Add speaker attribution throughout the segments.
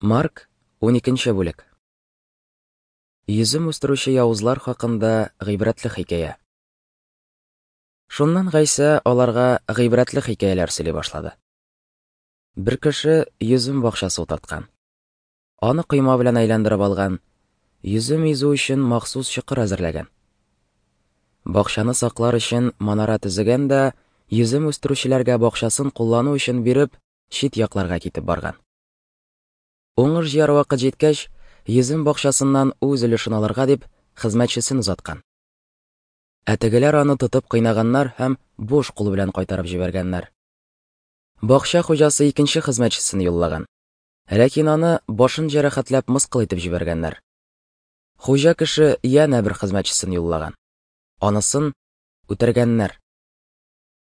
Speaker 1: Марк, 12 бүлек. Йөзем үстерүче явызлар хакында гыйбрәтле хикәя. Шуннан Гайсә аларга гыйбрәтле хикәяләр сөйли башлады. Бер кеше йөзем бакчасы утырткан. Аны койма белән әйләндереп алган, йөзем изү өчен махсус чокыр әзерләгән. Бакчаны саклар өчен манара төзегән дә, йөзем үстерүчеләргә бакчасын куллану өчен биреп, чит якларга китеп барган. Уңыш җыяр вакыт җиткәч, йөзем бакчасыннан үз өлешен алырга дип, хезмәтчесен озаткан. Ә тегеләр аны тотып кыйнаганнар һәм буш кул белән кайтарып җибәргәннәр. Бакча хуҗасы икенче хезмәтчесен юллаган. Ләкин аны башын җәрәхәтләп мыскыл итеп җибәргәннәр. Хуҗа кеше янә бер хезмәтчесен юллаган. Анысын үтергәннәр.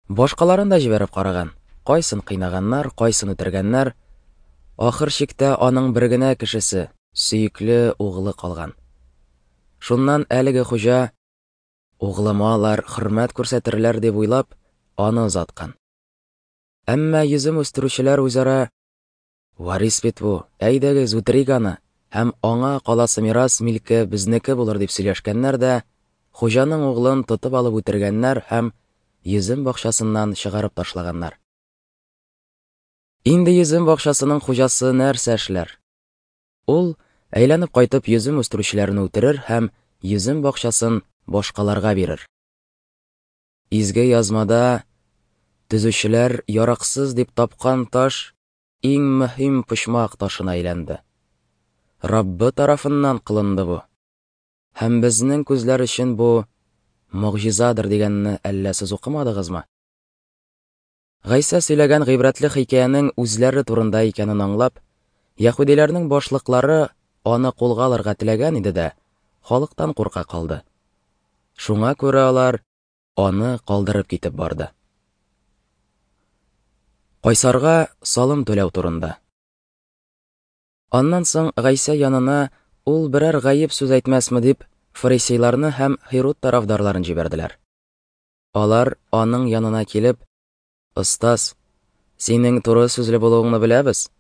Speaker 1: Башкаларын да җибәреп караган. Кайсын кыйнаганнар, кайсын үтергәннәр. Ахыр чиктә аның бер генә кешесе, сөекле углы калган. Шуннан әлеге хуҗа, углыма алар хөрмәт күрсәтерләр дип уйлап, аны озаткан. Әмма йөзем үстерүчеләр үзара Варис бит бу, әйдәгез, үтерик аны, һәм аңа каласы мирас милке безнеке булыр дип сөйләшкәннәр дә, хуҗаның углын тотып алып үтергәннәр һәм йөзем бакчасыннан чыгарып ташлаганнар. Инде йөзем бакчасының хуҗасы нәрсә эшләр? Ул, әйләнеп кайтып, йөзем үстерүчеләрне үтерер һәм йөзем бакчасын башкаларга бирер. Изге язмада төзүчеләр яраксыз дип тапкан таш иң мөһим почмак ташына әйләнде. Раббы тарафыннан кылынды бу. Һәм безнең күзләр өчен бу могҗизадыр дигәнне әллә сез укымадыгызмы? Гайсә сөйләгән гыйбрәтле хикәянең үзләре турында икәнен аңлап, яһүдиләрнең башлыклары аны кулга алырга теләгән иде дә, халыктан курка калды. Шуңа күрә алар аны калдырып китеп барды. Кайсарга салым түләү турында. Аннан соң Гайсә янына ул берәр гаеп сүз әйтмәсме дип, фарисейларны һәм Һируд тарафдарларын җибәрделәр. Алар аның янына килеп, "Остаз, синең туры сүзле булуыңны беләбез.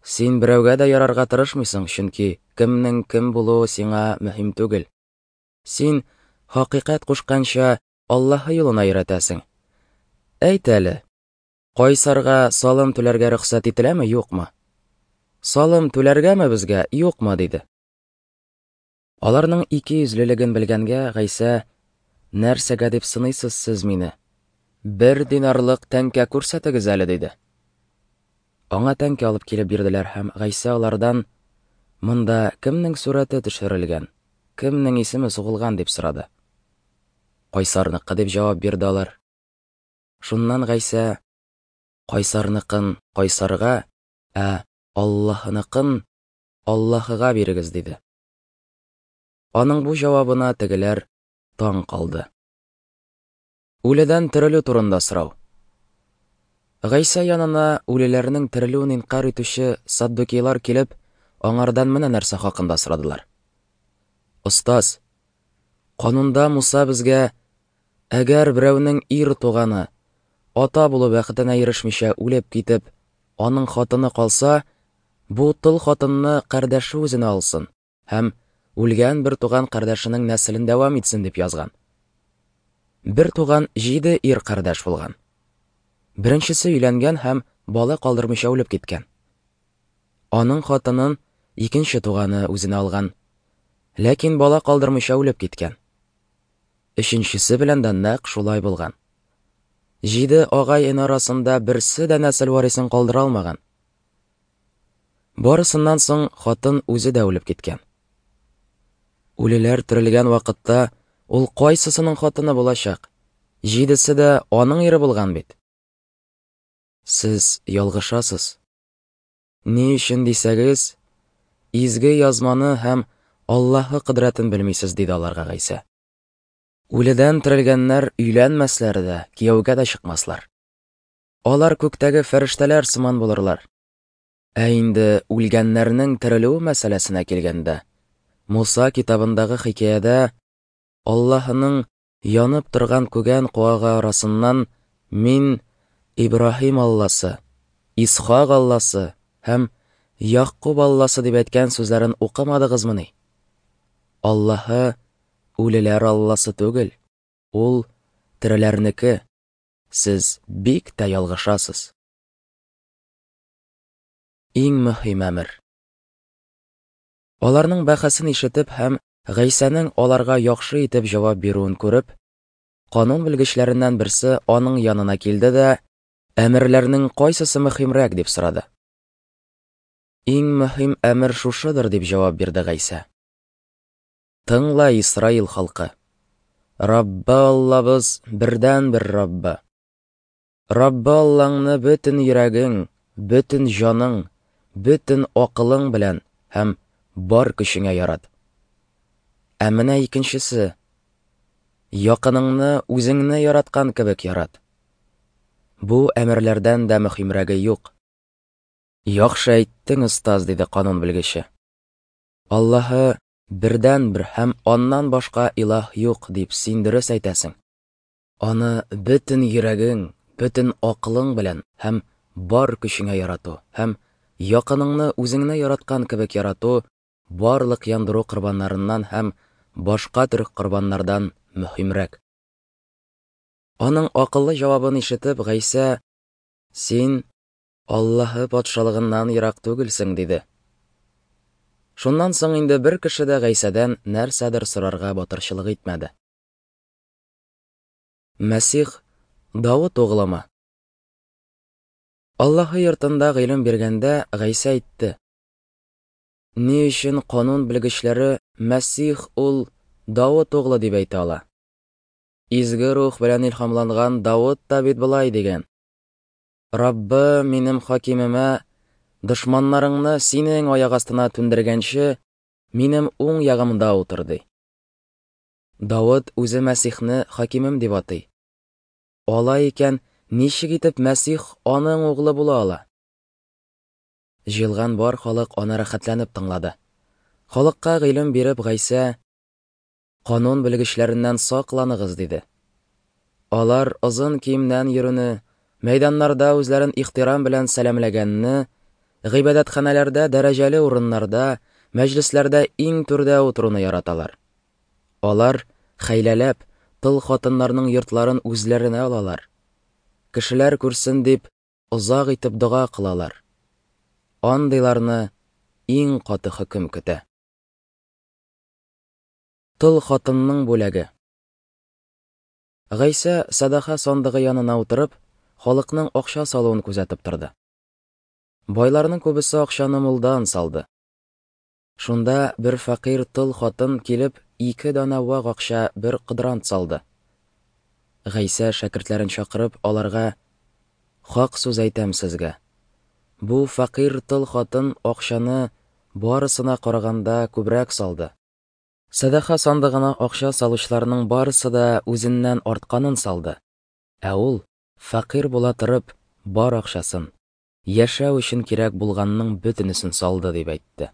Speaker 1: Син берәүгә дә ярарга тырышмыйсың, чөнки кемнең кем булуы сиңа мөһим түгел. Син хакыйкать кушканча Аллаһы юлына өйрәтәсең. Әйт әле, Кайсарга салым түләргә рөхсәт ителәме, юкмы? Салым түләргәме безгә, юкмы? диде. Аларның икейөзлелеген белгәнгә, Гайсә, Нәрсәгә дип сыныйсыз сез мине? Бер динарлык тәңкә күрсәтегез әле, диде. Аңа тәңкә алып килеп бирделәр һәм Гайсә алардан, Монда кемнең сурәте төшерелгән, кемнең исеме сугылган, дип сорады. Кайсарныкы, дип җавап бирде алар. Шуннан Гайсә, Кайсарныкын кайсарга, ә Аллаһыныкын Аллаһыга бирегез, диде. Аның бу җавабына тегеләр таң калды. Үледән терелү турында сорау. Гайсә янына үлеләрнең терелүен инкарь итүче саддукейлар килеп, аңардан менә нәрсә хакында сорадылар. Остаз, канунда Муса безгә, әгәр берәүнең ир туганы, ата булу бәхетенә ирешмичә үлеп китеп, аның хатыны калса, бу тол хатынны кардәше үзенә алсын һәм үлгән бер туган кардәшенең нәселен дәвам итсен дип язган. Бер туган җиде ир кардәш булган. Беренчесе өйләнгән һәм бала калдырмыйча үлеп киткән. Аның хатынын икенче туганы үзенә алган. Ләкин бала калдырмыйча үлеп киткән. Өченчесе белән дә нәкъ шулай булган. Җиде агай-эне арасында берсе дә нәсел варисын калдыра алмаган. Барысыннан соң хатын үзе дә үлеп киткән. Үлеләр терелгән вакытта ул кайсысының хатыны булачак? Җидесе дә аның ире булган бит. Сез ялгышасыз. Ни өчен дисәгез, изге язманы һәм Аллаһы кодрәтен белмисез, диде аларга Гайсә. Үледән терелгәннәр өйләнмәсләр дә, кияүгә дә чыкмаслар. Алар күктәге фәрештәләр сыман булырлар. Ә инде үлгәннәрнең терелүе мәсьәләсенә килгәндә, Муса китабындагы хикәядә Аллаһының янып торган күгән куагы арасыннан мин Ибраһим Алласы, Исхак Алласы һәм Ягъкуб Алласы дип әйткән сүзләрен укымадыгызмыни? Аллаһы үлеләр Алласы түгел, ул тереләрнеке. Сез бик тә ялгышасыз. Иң мөһим әмер. Аларның бәхәсен ишетеп һәм Гайсәнең аларга яхшы итеп җавап бирүен күреп, канун белгечләреннән берсе аның янына килде дә, әмерләрнең кайсысы мөһимрәк дип сорады. Иң мөһим әмер шушыдыр, дип җавап бирде Гайсә. Тыңла, Исраил халкы. Раббы Аллабыз бердәнбер Раббы. Раббы Аллаңны бөтен йөрәгең, бөтен җаның, бөтен акылың белән һәм бар көчеңә ярат. Ә менә икенчесе. Якыныңны үзеңне яраткан кебек ярат. Бу әмерләрдән дә мөһимрәге юк. Яхшы әйттең, остаз, диде канун белгече. Аллаһы бердәнбер һәм аннан башка илаһ юк, дип син дөрес әйтәсең. Аны бөтен йөрәгең, бөтен акылың белән һәм бар көчеңә ярату һәм якыныңны үзеңне яраткан кебек ярату барлык яндыру корбаннарыннан һәм башка төр корбаннардан мөһимрәк. Аның акыллы җавабын ишетеп, Гайсә, Син Аллаһы патшалыгыннан ерак түгелсең, диде. Шуннан соң инде бер кеше дә Гайсәдән нәрсәдер сорарга батырчылык итмәде. Мәсих Давыт угылымы? Аллаһы йортында гыйлем биргәндә Гайсә әйтте: Ни өчен канун белгечләре Мәсих ул Давыт углы дип әйтә ала? Изге рух белән илһамланган Давыт та бит болай дигән: Раббы минем хакимемә, дошманнарыңны синең аяк астына түндергәнче, минем уң ягымда утыр, ди. Давыт үзе Мәсихне хакимем дип атый. Алай икән, ничек итеп Мәсих аның углы була ала? Җыелган бар халык аны рәхәтләнеп тыңлады. Халыкка гыйлем биреп, Гайсә, Канун белгечләреннән сакланыгыз, диде. Алар озын киемнән йөрүне, мәйданнарда үзләрен ихтирам белән сәламләгәнне, гыйбадәтханәләрдә дәрәҗәле урыннарда, мәҗлесләрдә иң түрдә утыруны яраталар. Алар, хәйләләп, тол хатыннарның йортларын үзләренә алалар. Кешеләр күрсен дип, озак итеп дога кылалар. Андыйларны иң каты хөкем көтә. Тол хатынның бүләге. Гайсә сәдаха сандыгы янына утырып, халыкның акча салуын күзәтеп торды. Байларның күбесе акчаны мулдан салды. Шунда бер фәкыйрь тол хатын килеп, ике данә вак акча бер кодрант салды. Гайсә шәкертләрен чакырып, аларга: Хак сүз әйтәм сезгә. Бу фәкыйрь тол хатын акчаны барысына караганда күбрәк салды. Сәдака сандыгына акча салучыларның барысы да үзеннән артканын салды. Ә ул, фәкыйрь була торып, бар акчасын, яшәү өчен кирәк булганның бөтенесен салды, дип әйтте.